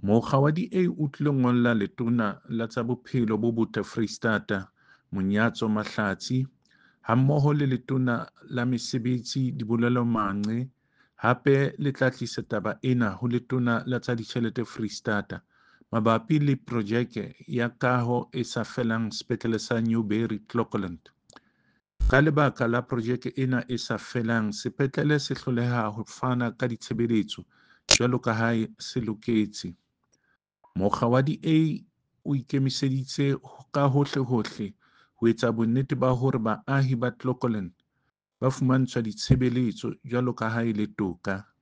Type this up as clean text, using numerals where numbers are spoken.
Mokga wa DA o tlilo ngolla Letona la tsa Bophelo bo Botle Freistata, Monyatso Mahlatsi, hammoho le Letona la Mesebetsi Dibolelo Manqe hape le tla tlisa taba ena ho Letona la tsa Ditjhelete Freistata mabapi le projeke ya kaho e sa felang sepetlele sa Newbury Clocolan. Ka lebaka la projeke ena e sa felang, sepetlele se hloleha ho fana ka ditshebeletso jwalo ka ha se loketse. Mokga wa DA o ikemiseditse ka hohlehohle ho etsa bonnete ba hore baahi ba Clocolan ba fumantshwa ditshebeletso jwalo ka ha e le toka.